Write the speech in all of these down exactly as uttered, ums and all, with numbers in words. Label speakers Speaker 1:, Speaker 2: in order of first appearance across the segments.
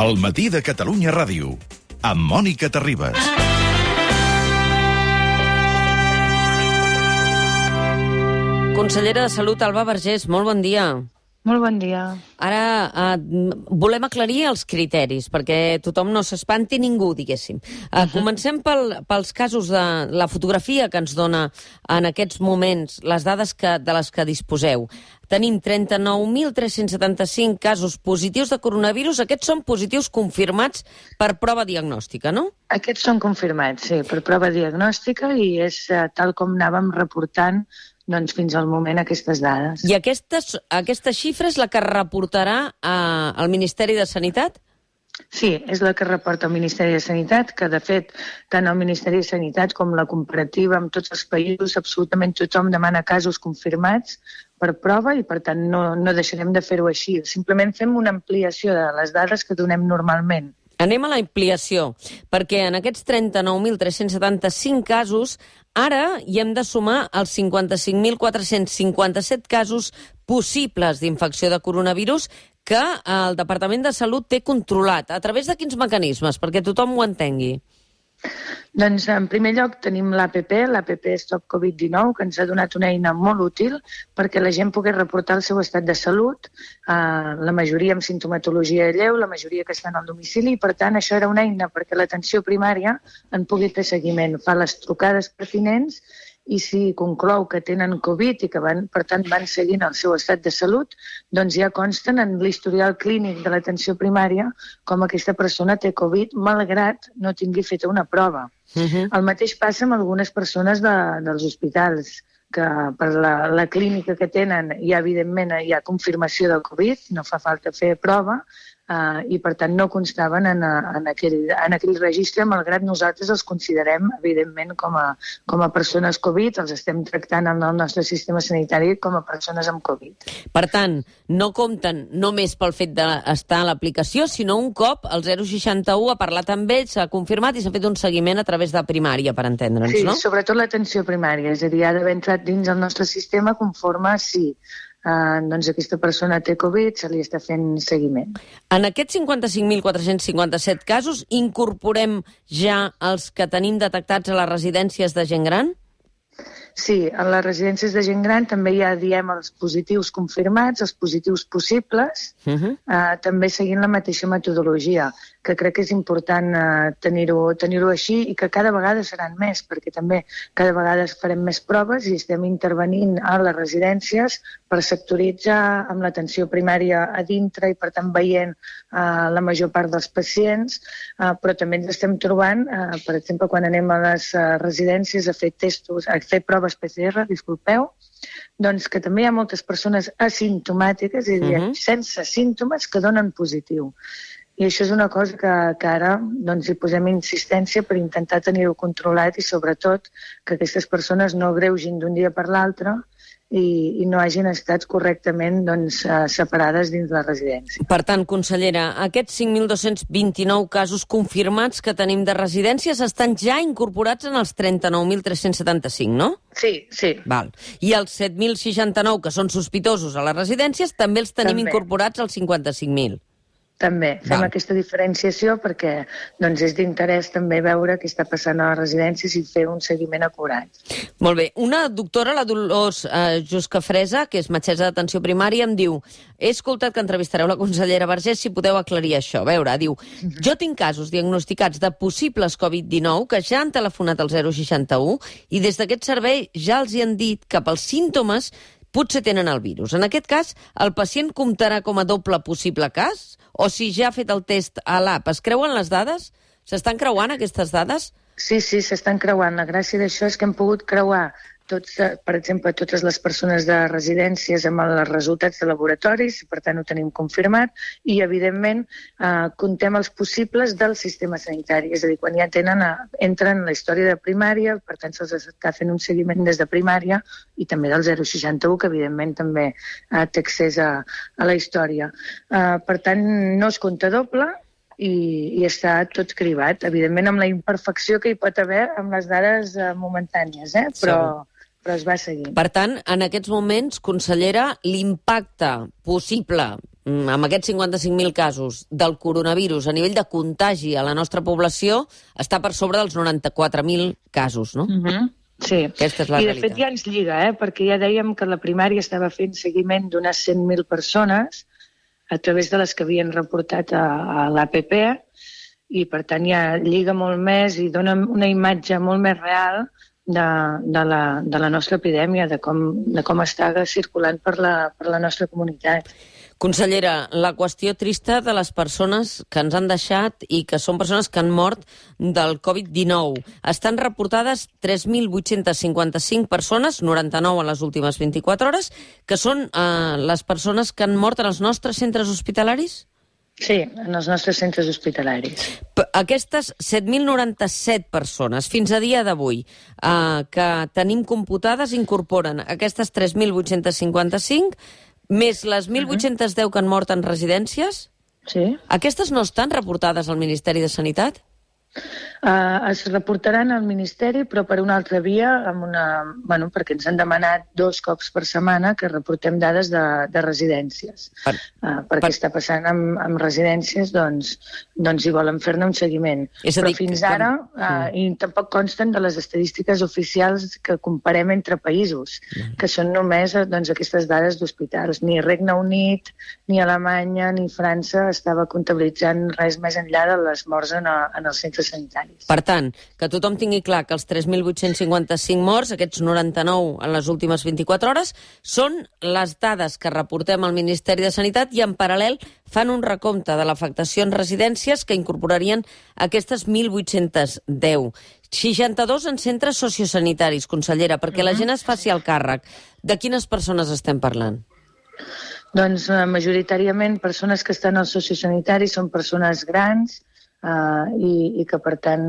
Speaker 1: El matí de Catalunya Ràdio, amb Mònica Terribas.
Speaker 2: Consellera de Salut, Alba Vergés, molt bon dia.
Speaker 3: Molt bon dia.
Speaker 2: Ara eh, volem aclarir els criteris, perquè tothom no s'espanti, ningú, diguéssim. Eh, uh-huh. Comencem pel, pels casos de la fotografia que ens dona en aquests moments les dades que, de les que disposeu. Tenim trenta-nou mil tres-cents setanta-cinc casos positius de coronavirus. Aquests són positius confirmats per prova diagnòstica, no?
Speaker 3: Aquests són confirmats, sí, per prova diagnòstica i és eh, tal com anàvem reportant doncs, fins al moment aquestes dades.
Speaker 2: I aquestes, aquesta xifra és la que reportarà a, al Ministeri de Sanitat?
Speaker 3: Sí, és la que reporta el Ministeri de Sanitat, que de fet tant el Ministeri de Sanitat com la comparativa amb tots els països, absolutament tothom demana casos confirmats per prova i per tant no, no deixarem de fer-ho així. Simplement fem una ampliació de les dades que donem normalment.
Speaker 2: Anem a la ampliació, perquè en aquests trenta-nou mil tres-cents setanta-cinc casos ara hi hem de sumar els cinquanta-cinc mil quatre-cents cinquanta-set casos possibles d'infecció de coronavirus que el Departament de Salut té controlat. A través de quins mecanismes? Perquè tothom ho entengui.
Speaker 3: Doncs, en primer lloc, tenim l'A P P, l'A P P Stop Covid dinou, que ens ha donat una eina molt útil perquè la gent pogués reportar el seu estat de salut, eh, la majoria amb sintomatologia lleu, la majoria que estan al domicili, i per tant això era una eina perquè l'atenció primària en pugui fer seguiment, fa les trucades pertinents i si conclou que tenen Covid i que van, per tant van seguint el seu estat de salut, doncs ja consten en l'historial clínic de l'atenció primària com aquesta persona té Covid malgrat no tingui feta una prova. Uh-huh. El mateix passa amb algunes persones de, dels hospitals, que per la, la clínica que tenen ja evidentment hi ha confirmació del Covid, no fa falta fer prova, Uh, i per tant no constaven en, en, aquell, en aquell registre, malgrat nosaltres els considerem evidentment com a, com a persones Covid, els estem tractant en el nostre sistema sanitari com a persones amb Covid.
Speaker 2: Per tant, no compten només pel fet d'estar a l'aplicació, sinó un cop el zero seixanta-u ha parlat amb ells, s'ha confirmat i s'ha fet un seguiment a través de primària, per entendre'ns,
Speaker 3: sí,
Speaker 2: no?
Speaker 3: Sí, sobretot l'atenció primària, és a dir, ha d'haver entrat dins el nostre sistema conforme si Uh, doncs aquesta persona té Covid, se li està fent seguiment.
Speaker 2: En aquests cinquanta-cinc mil quatre-cents cinquanta-set casos incorporem ja els que tenim detectats a les residències de gent gran?
Speaker 3: Sí, en les residències de gent gran també ja diem els positius confirmats, els positius possibles, uh-huh. uh, també seguint la mateixa metodologia, que crec que és important uh, tenir-ho tenir-ho així i que cada vegada seran més, perquè també cada vegada farem més proves i estem intervenint a les residències per sectoritzar amb l'atenció primària a dintre i per tant veient uh, la major part dels pacients, uh, però també ens estem trobant, uh, per exemple, quan anem a les uh, residències a fer testos, a fer proves P C R, disculpeu, doncs que també hi ha moltes persones asimptomàtiques, és a dir, uh-huh. sense símptomes, que donen positiu. I això és una cosa que, que ara doncs, hi posem insistència per intentar tenir-ho controlat i sobretot que aquestes persones no greugin d'un dia per l'altre i, i no hagin estat correctament doncs, separades dins la residència.
Speaker 2: Per tant, consellera, aquests cinc mil dos-cents vint-i-nou casos confirmats que tenim de residències estan ja incorporats en els trenta-nou mil tres-cents setanta-cinc, no?
Speaker 3: Sí, sí.
Speaker 2: Val. I els set mil seixanta-nou que són sospitosos a les residències també els tenim també incorporats als cinquanta-cinc mil.
Speaker 3: També fem
Speaker 2: Val.
Speaker 3: aquesta diferenciació perquè doncs, és d'interès també veure què està passant a les residències i fer un seguiment acurat.
Speaker 2: Molt bé. Una doctora, la Dolors eh, Juscafresa, que és metgessa d'atenció primària, em diu: he escoltat que entrevistareu la consellera Vergés, si podeu aclarir això. A veure, diu, jo tinc casos diagnosticats de possibles Covid dinou que ja han telefonat al zero seixanta-u i des d'aquest servei ja els hi han dit que pels símptomes potser tenen el virus. En aquest cas, el pacient comptarà com a doble possible cas? O si ja ha fet el test a l'app, es creuen les dades? S'estan creuant aquestes dades?
Speaker 3: Sí, sí, s'estan creuant. La gràcia d'això és que hem pogut creuar tots, per exemple, totes les persones de residències amb els resultats de laboratoris, per tant ho tenim confirmat, i evidentment eh, contem els possibles del sistema sanitari, és a dir, quan ja tenen, entren en la història de primària, per tant se'ls està fent un seguiment des de primària i també del zero seixanta-u, que evidentment també eh, té accés a, a la història. Eh, per tant, no es compta doble, i, i està tot cribat, evidentment amb la imperfecció que hi pot haver amb les dades eh, momentànies, eh? però, però es va seguint.
Speaker 2: Per tant, en aquests moments, consellera, l'impacte possible amb aquests cinquanta-cinc mil casos del coronavirus a nivell de contagi a la nostra població, està per sobre dels noranta-quatre mil casos, no?
Speaker 3: Mm-hmm. Sí,
Speaker 2: aquesta és la
Speaker 3: i de
Speaker 2: realitat.
Speaker 3: fet ja ens lliga, eh? Perquè ja dèiem que la primària estava fent seguiment d'unes cent mil persones a través de les que havien reportat a, a l'A P P, i per tant ja lliga molt més i dona una imatge molt més real de, de, la, de la nostra epidèmia, de com, de com està circulant per la, per la nostra comunitat.
Speaker 2: Consellera, la qüestió trista de les persones que ens han deixat i que són persones que han mort del covid dinou. Estan reportades tres mil vuit-cents cinquanta-cinc persones, noranta-nou en les últimes vint-i-quatre hores, que són eh, les persones que han mort en els nostres centres hospitalaris?
Speaker 3: Sí, en els nostres centres hospitalaris.
Speaker 2: Aquestes set mil noranta-set persones, fins a dia d'avui, eh, que tenim computades, incorporen aquestes tres mil vuit-cents cinquanta-cinc, més les mil vuit-cents deu que han mort en residències?
Speaker 3: Sí.
Speaker 2: Aquestes no estan reportades al Ministeri de Sanitat?
Speaker 3: Uh, es reportaran al Ministeri, però per una altra via, amb una, bueno, perquè ens han demanat dos cops per setmana que reportem dades de, de residències. Per, uh, perquè per... està passant amb, amb residències, doncs, doncs hi volen fer-ne un seguiment.
Speaker 2: És a
Speaker 3: però
Speaker 2: dir,
Speaker 3: fins
Speaker 2: que...
Speaker 3: ara, uh, i tampoc consten de les estadístiques oficials que comparem entre països, mm. que són només doncs, aquestes dades d'hospitals. Ni Regne Unit, ni Alemanya, ni França estava comptabilitzant res més enllà de les morts en, a, en els centres sanitaris.
Speaker 2: Per tant, que tothom tingui clar que els tres mil vuit-cents cinquanta-cinc morts, aquests noranta-nou en les últimes vint-i-quatre hores, són les dades que reportem al Ministeri de Sanitat i en paral·lel fan un recompte de l'afectació en residències que incorporarien aquestes mil vuit-cents deu. seixanta-dos en centres sociosanitaris, consellera, perquè la gent es faci el càrrec. De quines persones estem parlant?
Speaker 3: Doncs eh, majoritàriament persones que estan als sociosanitaris són persones grans, Uh, i, i que, per tant,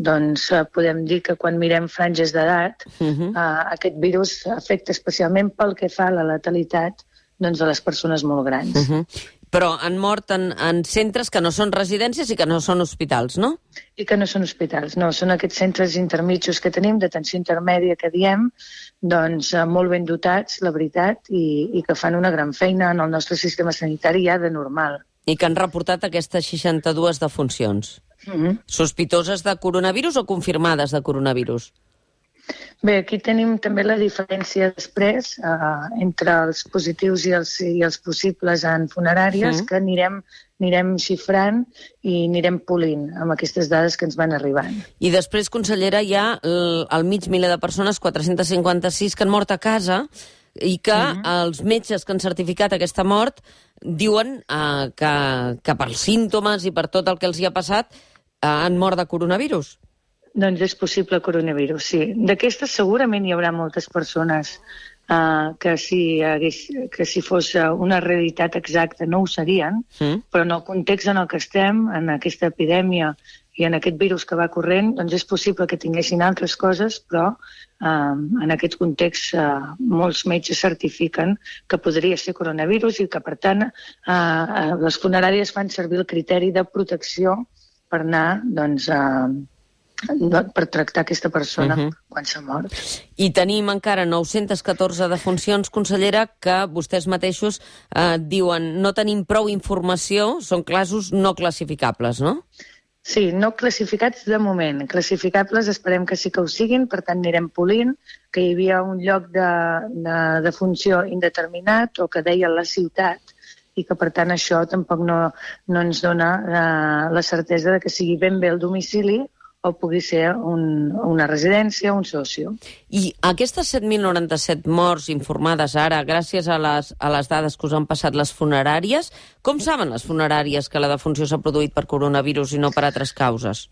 Speaker 3: doncs, uh, podem dir que quan mirem franges d'edat, uh-huh. uh, aquest virus afecta especialment pel que fa a la letalitat doncs, de les persones molt grans.
Speaker 2: Uh-huh. Però han mort en, en centres que no són residències i que no són hospitals, no?
Speaker 3: I que no són hospitals, no. Són aquests centres intermitjos que tenim, d'atenció intermèdia que diem, doncs uh, molt ben dotats, la veritat, i, i que fan una gran feina en el nostre sistema sanitari ja de normal.
Speaker 2: I que han reportat aquestes seixanta-dues defuncions.
Speaker 3: Mm-hmm.
Speaker 2: Sospitoses de coronavirus o confirmades de coronavirus?
Speaker 3: Bé, aquí tenim també la diferència després eh, entre els positius i els, i els possibles en funeràries, mm. que anirem, anirem xifrant i anirem polint amb aquestes dades que ens van arribant.
Speaker 2: I després, consellera, hi ha el, el mig miler de persones, quatre-cents cinquanta-sis, que han mort a casa i que mm-hmm. els metges que han certificat aquesta mort diuen eh, que, que pels símptomes i per tot el que els hi ha passat eh, han mort de coronavirus.
Speaker 3: Doncs és possible coronavirus, sí. D'aquestes segurament hi haurà moltes persones eh, que, si hagués, que si fos una realitat exacta no ho serien, mm. però en el context en el que estem, en aquesta epidèmia i en aquest virus que va corrent, doncs és possible que tinguessin altres coses, però eh, en aquest context eh, molts metges certifiquen que podria ser coronavirus i que, per tant, eh, les funeràries fan servir el criteri de protecció per anar, doncs, eh, per tractar aquesta persona uh-huh. quan s'ha mort.
Speaker 2: I tenim encara nou-centes catorze defuncions, consellera, que vostès mateixos eh, diuen no tenim prou informació, són casos no classificables, no?
Speaker 3: Sí, no classificats de moment. Classificables esperem que sí que ho siguin, per tant anirem polint, que hi havia un lloc de, de, de funció indeterminat o que deia la ciutat i que per tant això tampoc no, no ens dona eh, la certesa de que sigui ben bé el domicili o pugui ser un, una residència o un socio.
Speaker 2: I aquestes set mil noranta-set morts informades ara, gràcies a les, a les dades que us han passat les funeràries, com saben les funeràries que la defunció s'ha produït per coronavirus i no per altres causes?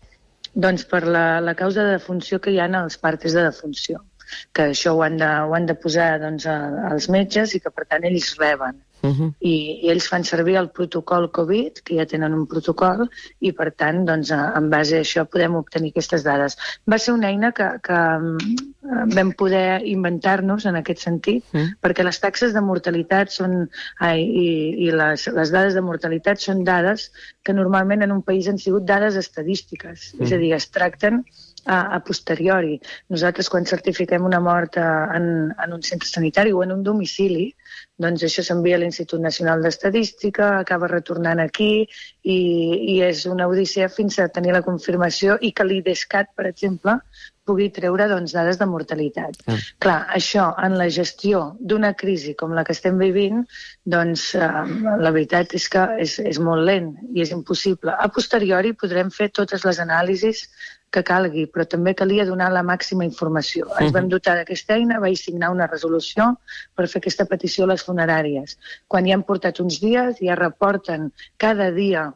Speaker 3: Doncs per la, la causa de defunció que hi ha als partes de defunció, que això ho han de, ho han de posar doncs, a, als metges i que per tant ells reben. Uh-huh. I, i ells fan servir el protocol Covid, que ja tenen un protocol, i per tant, doncs, en base a això podem obtenir aquestes dades. Va ser una eina que, que vam poder inventar-nos en aquest sentit, uh-huh. perquè les taxes de mortalitat són, ai, i, i les, les dades de mortalitat són dades que normalment en un país han sigut dades estadístiques, uh-huh. és a dir, es tracten a, a posteriori. Nosaltres, quan certifiquem una mort a, en, en un centre sanitari o en un domicili, doncs això s'envia a l'Institut Nacional d'Estadística, acaba retornant aquí i, i és una odissea fins a tenir la confirmació i que l'IDESCAT, per exemple, pugui treure doncs, dades de mortalitat. Ah. Clar, això en la gestió d'una crisi com la que estem vivint, doncs eh, la veritat és que és, és molt lent i és impossible. A posteriori podrem fer totes les anàlisis que calgui, però també calia donar la màxima informació. Ens vam dotar d'aquesta eina, vaig signar una resolució per fer aquesta petició a les funeràries. Quan ja han portat uns dies, ja reporten cada dia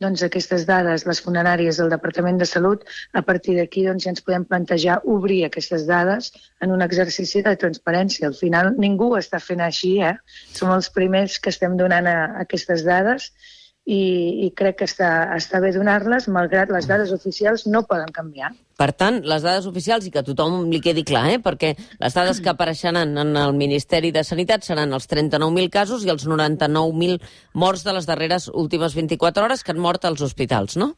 Speaker 3: doncs, aquestes dades, les funeràries del Departament de Salut, a partir d'aquí doncs, ja ens podem plantejar obrir aquestes dades en un exercici de transparència. Al final ningú està fent així, eh? Som els primers que estem donant a, a aquestes dades i, i crec que està, està bé donar-les, malgrat les dades oficials no poden canviar.
Speaker 2: Per tant, les dades oficials, i que a tothom li quedi clar, eh? Perquè les dades que apareixeran en el Ministeri de Sanitat seran els trenta-nou mil casos i els noranta-nou mil morts de les darreres últimes vint-i-quatre hores que han mort als hospitals, no?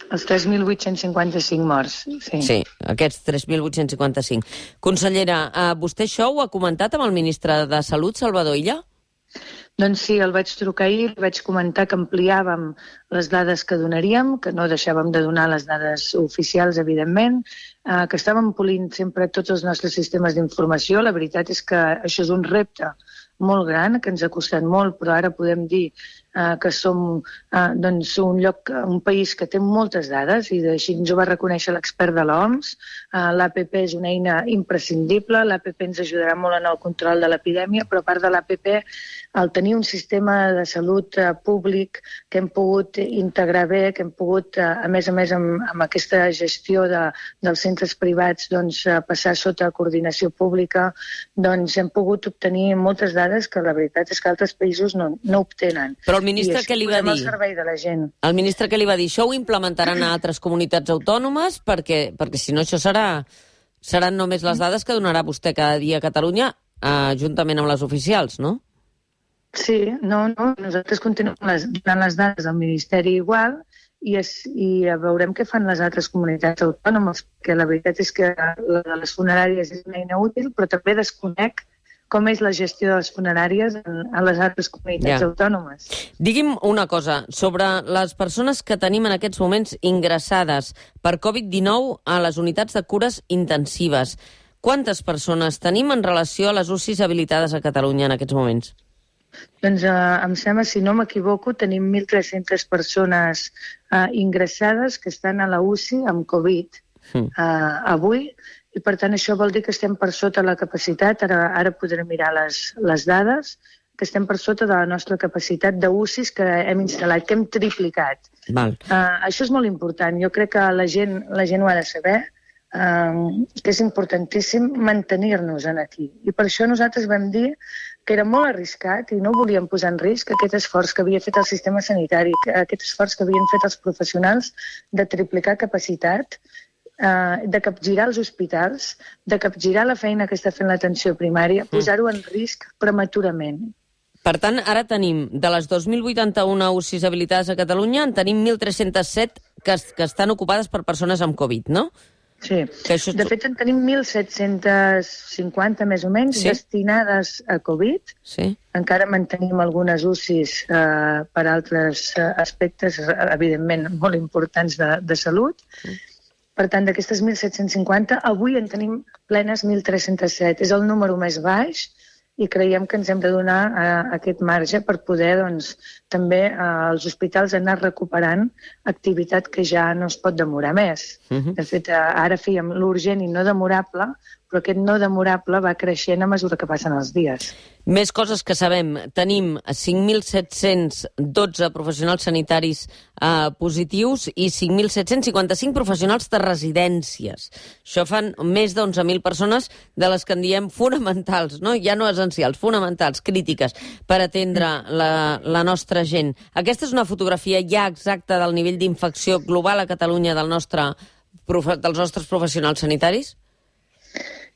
Speaker 3: Els tres mil vuit-cents cinquanta-cinc morts, sí.
Speaker 2: Sí, aquests tres mil vuit-cents cinquanta-cinc. Consellera, eh, vostè això ho ha comentat amb el ministre de Salut, Salvador Illa?
Speaker 3: Doncs sí, el vaig trucar ahir, li vaig comentar que ampliàvem les dades que donaríem, que no deixàvem de donar les dades oficials, evidentment, eh, que estàvem polint sempre tots els nostres sistemes d'informació. La veritat és que això és un repte molt gran, que ens ha costat molt, però ara podem dir eh, que som eh, doncs un lloc, un país que té moltes dades, i així ens ho va reconèixer l'expert de l'O M S. Eh, L'A P P és una eina imprescindible, l'A P P ens ajudarà molt en el control de l'epidèmia, però a part de l'A P P, al tenir un sistema de salut eh, públic que hem pogut integrar bé, que hem pogut, eh, a més a més, amb, amb aquesta gestió de, dels centres privats, doncs, eh, passar sota coordinació pública, doncs hem pogut obtenir moltes dades que la veritat és que altres països no, no obtenen.
Speaker 2: Però el ministre què li va dir?
Speaker 3: Al servei de la gent.
Speaker 2: El ministre què li va dir? Això ho implementaran a altres comunitats autònomes? Perquè, perquè si no, això serà, seran només les dades que donarà vostè cada dia a Catalunya, eh, juntament amb les oficials, no?
Speaker 3: Sí, no, no. Nosaltres continuem les, donant les dades al Ministeri igual i, es, i veurem què fan les altres comunitats autònomes, perquè la veritat és que la de les funeràries és una eina útil, però també desconec com és la gestió de les funeràries en, en les altres comunitats ja. autònomes.
Speaker 2: Digui'm una cosa, sobre les persones que tenim en aquests moments ingressades per covid dinou a les unitats de cures intensives. Quantes persones tenim en relació a les U C Is habilitades a Catalunya en aquests moments?
Speaker 3: Doncs eh, em sembla, si no m'equivoco, tenim mil tres-centes persones eh, ingressades que estan a la U C I amb Covid mm. eh, avui, i per tant això vol dir que estem per sota la capacitat, ara, ara podrem mirar les, les dades, que estem per sota de la nostra capacitat de U C Is que hem instal·lat, que hem triplicat.
Speaker 2: Val.
Speaker 3: Uh, això és molt important, jo crec que la gent, la gent ho ha de saber, uh, que és importantíssim mantenir-nos aquí. I per això nosaltres vam dir que era molt arriscat i no volíem posar en risc aquest esforç que havia fet el sistema sanitari, aquest esforç que havien fet els professionals de triplicar capacitat, de capgirar els hospitals, de capgirar la feina que està fent l'atenció primària, posar-ho en risc prematurament.
Speaker 2: Per tant, ara tenim, de les dos mil vuitanta-una U C Is habilitades a Catalunya, en tenim mil tres-cents set que, que estan ocupades per persones amb Covid, no?
Speaker 3: Sí. Això... De fet, en tenim mil set-cents cinquanta, més o menys, sí. destinades a Covid.
Speaker 2: Sí.
Speaker 3: Encara mantenim algunes U C Is eh, per altres aspectes, evidentment, molt importants de, de salut. Sí. Per tant, d'aquestes mil set-cents cinquanta, avui en tenim plenes mil tres-cents set. És el número més baix i creiem que ens hem de donar uh, aquest marge per poder, doncs, també uh, els hospitals anar recuperant activitat que ja no es pot demorar més. Uh-huh. De fet, uh, ara fèiem l'urgent i no demorable, però aquest no demorable va creixent a mesura que passen els dies.
Speaker 2: Més coses que sabem. Tenim cinc mil set-cents dotze professionals sanitaris eh, positius i cinc mil set-cents cinquanta-cinc professionals de residències. Això fan més d'onze mil persones de les que en diem fonamentals, no? Ja no essencials, fonamentals, crítiques, per atendre la, la nostra gent. Aquesta és una fotografia ja exacta del nivell d'infecció global a Catalunya del nostre, dels nostres professionals sanitaris?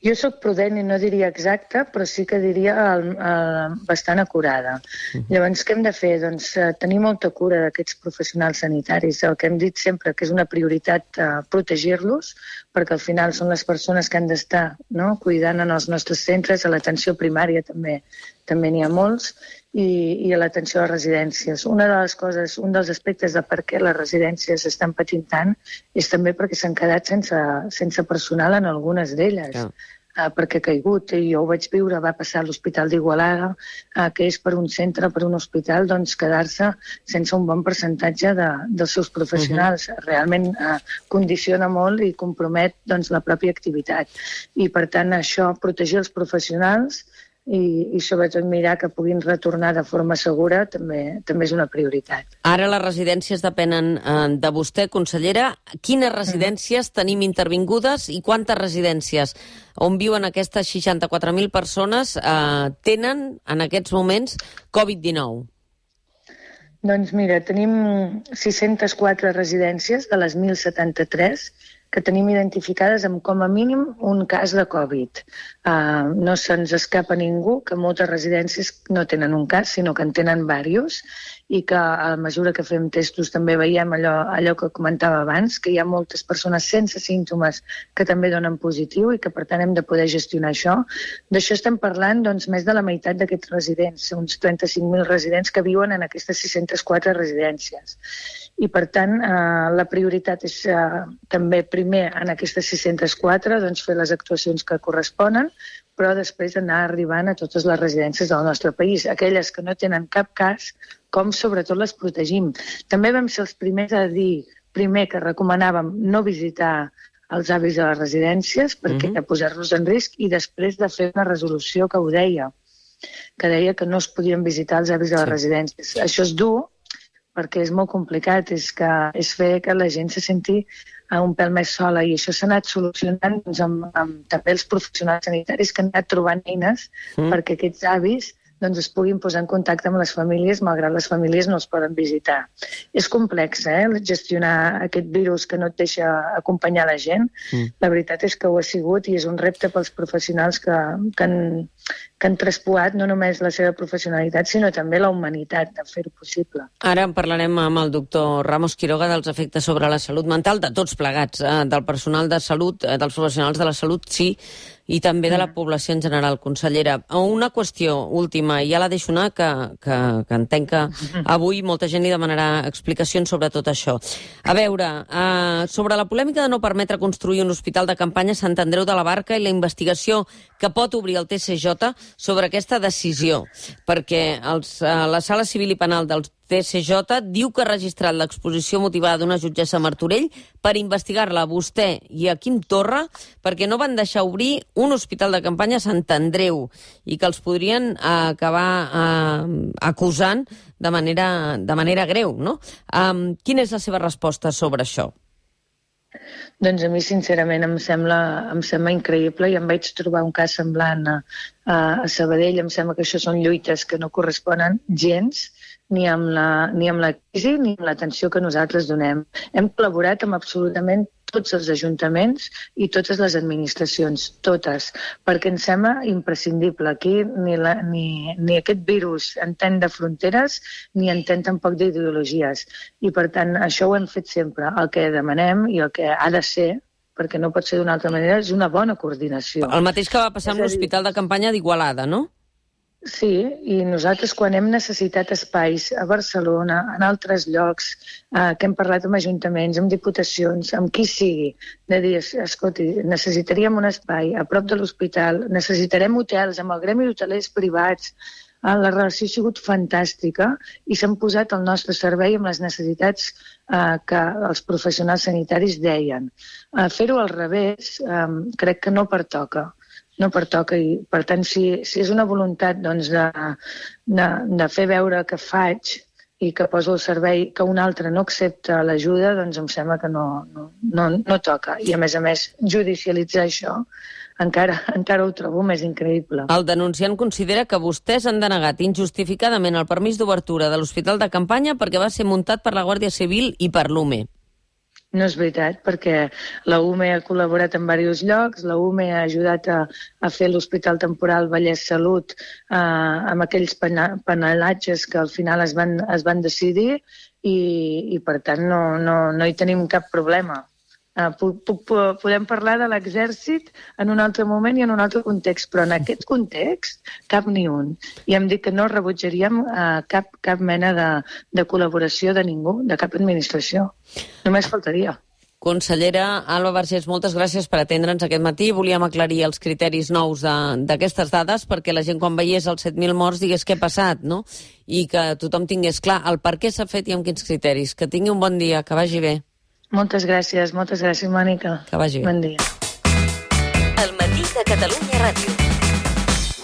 Speaker 3: Jo sóc prudent i no diria exacta, però sí que diria el, el, bastant acurada. Uh-huh. Llavors, què hem de fer? Doncs uh, tenir molta cura d'aquests professionals sanitaris. El que hem dit sempre que és una prioritat uh, protegir-los, perquè al final són les persones que han d'estar, no?, cuidant en els nostres centres, a l'atenció primària també també n'hi ha molts, i, i a l'atenció a les residències. Una de les coses, un dels aspectes de per què les residències estan patint tant és també perquè s'han quedat sense, sense personal en algunes d'elles. Ja. Uh, perquè ha caigut, i jo ho vaig viure, va passar a l'Hospital d'Igualada, uh, que és per un centre, per un hospital, doncs quedar-se sense un bon percentatge de, dels seus professionals. Uh-huh. Realment uh, condiciona molt i compromet doncs, la pròpia activitat. I per tant això, protegir els professionals i, i sobretot mirar que puguin retornar de forma segura també, també és una prioritat.
Speaker 2: Ara les residències depenen eh, de vostè, consellera. Quines residències mm. tenim intervingudes i quantes residències on viuen aquestes seixanta-quatre mil persones eh, tenen en aquests moments covid dinou?
Speaker 3: Doncs mira, tenim sis-centes quatre residències de les mil setanta-tres que tenim identificades amb com a mínim un cas de Covid. Uh, no se'ns escapa ningú que moltes residències no tenen un cas, sinó que en tenen diversos, i que a mesura que fem testos també veiem allò, allò que comentava abans, que hi ha moltes persones sense símptomes que també donen positiu i que per tant hem de poder gestionar això. D'això estem parlant doncs, més de la meitat d'aquests residents, uns trenta-cinc mil residents que viuen en aquestes sis-centes quatre residències. I per tant eh, la prioritat és eh, també primer en aquestes sis-centes quatre doncs, fer les actuacions que corresponen, però després anar arribant a totes les residències del nostre país, aquelles que no tenen cap cas, com sobretot les protegim. També vam ser els primers a dir, primer que recomanàvem no visitar els avis de les residències perquè mm-hmm. posar-los en risc, i després de fer una resolució que ho deia, que deia que no es podien visitar els avis de les sí. residències. Això és dur, perquè és molt complicat, és, que, és fer que la gent se senti un pèl més sola, i això s'ha anat solucionant doncs, amb, amb també els professionals sanitaris que han anat trobant eines mm. perquè aquests avis doncs, es puguin posar en contacte amb les famílies, malgrat les famílies no els poden visitar. És complex, eh?, gestionar aquest virus que no et deixa acompanyar la gent. Mm. La veritat és que ho ha sigut i és un repte pels professionals que, que, han, que han traspuat no només la seva professionalitat, sinó també la humanitat de fer-ho possible.
Speaker 2: Ara en parlarem amb el doctor Ramos Quiroga dels efectes sobre la salut mental de tots plegats, eh, del personal de salut, eh, dels professionals de la salut, sí, i també de la població en general, consellera. Una qüestió última, i ja la deixo anar, que, que, que entenc que avui molta gent li demanarà explicacions sobre tot això. A veure, eh, sobre la polèmica de no permetre construir un hospital de campanya a Sant Andreu de la Barca i la investigació que pot obrir el T C J sobre aquesta decisió, perquè els, eh, la Sala Civil i Penal dels T C J diu que ha registrat l'exposició motivada d'una jutgessa a Martorell per investigar-la a vostè i a Quim Torra perquè no van deixar obrir un hospital de campanya a Sant Andreu i que els podrien eh, acabar eh, acusant de manera, de manera greu, no? Um, quina és la seva resposta sobre això?
Speaker 3: Doncs a mi, sincerament, em sembla, em sembla increïble, i em vaig trobar un cas semblant a, a Sabadell. Em sembla que això són lluites que no corresponen gens ni amb la, ni amb la crisi ni amb l'atenció que nosaltres donem. Hem col·laborat amb absolutament tots els ajuntaments i totes les administracions, totes, perquè ens sembla imprescindible. Aquí ni, la, ni, ni aquest virus entén de fronteres ni entén tampoc d'ideologies. I per tant, això ho hem fet sempre. El que demanem i el que ha de ser, perquè no pot ser d'una altra manera, és una bona coordinació.
Speaker 2: El mateix que va passar amb l'Hospital de Campanya d'Igualada, no?
Speaker 3: Sí, i nosaltres quan hem necessitat espais a Barcelona, en altres llocs, eh, que hem parlat amb ajuntaments, amb diputacions, amb qui sigui, de dir, escolti, necessitaríem un espai a prop de l'hospital, necessitarem hotels amb el gremi d'hotelers privats, eh, la relació ha sigut fantàstica i s'han posat al nostre servei amb les necessitats eh, que els professionals sanitaris deien. Eh, fer-ho al revés eh, crec que no pertoca. no pertoca, i per tant si, si és una voluntat doncs, de, de, de fer veure que faig i que poso el servei que un altre no accepta l'ajuda, doncs em sembla que no, no, no, no toca. I a més a més judicialitzar això encara, encara ho trobo més increïble.
Speaker 2: El denunciant considera que vostès han denegat injustificadament el permís d'obertura de l'Hospital de Campanya perquè va ser muntat per la Guàrdia Civil i per l'U M E.
Speaker 3: No és veritat, perquè la U M E ha col·laborat en diversos llocs, la U M E ha ajudat a, a fer l'Hospital Temporal Vallès Salut eh, amb aquells penalatges que al final es van, es van decidir i, i per tant no, no, no hi tenim cap problema. Uh, puc, puc, podem parlar de l'exèrcit en un altre moment i en un altre context, però en aquest context cap ni un. I hem dit que no rebutjaríem uh, cap, cap mena de, de col·laboració de ningú, de cap administració. Només faltaria.
Speaker 2: Consellera Alba Vergés, moltes gràcies per atendre'ns aquest matí. Volíem aclarir els criteris nous d'aquestes dades perquè la gent quan veiés els set mil morts digués què ha passat, no? I que tothom tingués clar el per què s'ha fet i amb quins criteris. Que tingui un bon dia, que vagi bé.
Speaker 3: Moltes gràcies, moltes gràcies, Mònica.
Speaker 2: Que vagi bé.
Speaker 3: Bon dia.
Speaker 4: El matí de Catalunya Ràdio.